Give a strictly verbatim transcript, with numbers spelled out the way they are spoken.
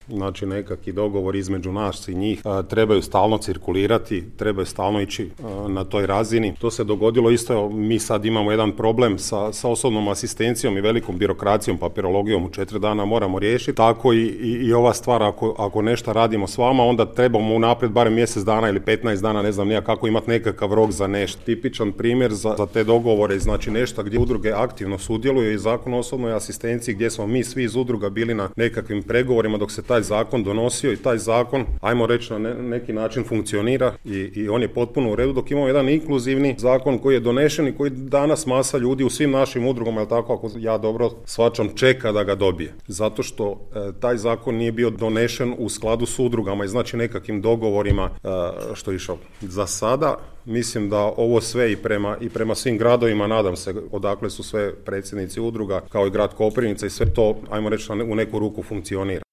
znači nekakvi dogovor između nas i njih trebaju stalno cirkulirati, trebaju stalno ići na toj razini. To se dogodilo isto, mi sad imamo jedan problem sa, sa osobnom asistencijom i velikom birokracijom, papirologijom u četiri dana moramo riješiti. Tako i, i, i ova stvar, ako, ako nešto radimo s vama, onda trebamo unaprijed barem mjesec dana ili petnaest dana, ne znam nija kako imati nekakav rok za nešto. Tipičan primjer za, za te dogovore, znači nešto gdje udruge aktivno sudjeluju i zakon o osobnoj asistenciji gdje smo mi svi iz udruga bili na nekakvim pregovorima dok se taj zakon donosio i taj zakon, ajmo reći, na ne, neki način funkcionira i, i on je potpuno u redu, dok imamo jedan inkluzivni zakon koji je donešen i koji danas masa ljudi u svim našim udrugama, jel tako, ako ja dobro shvaćam, čeka da ga dobije. Zato što e, taj zakon nije bio donešen u skladu s udrugama i znači nekakvim dogovorima e, što je išao. Za sada mislim da ovo sve i prema, i prema svim gradovima, nadam se, odakle su sve predsjednici udruga, kao i grad Koprivnica i sve to, ajmo reći, u neku ruku funkcionira.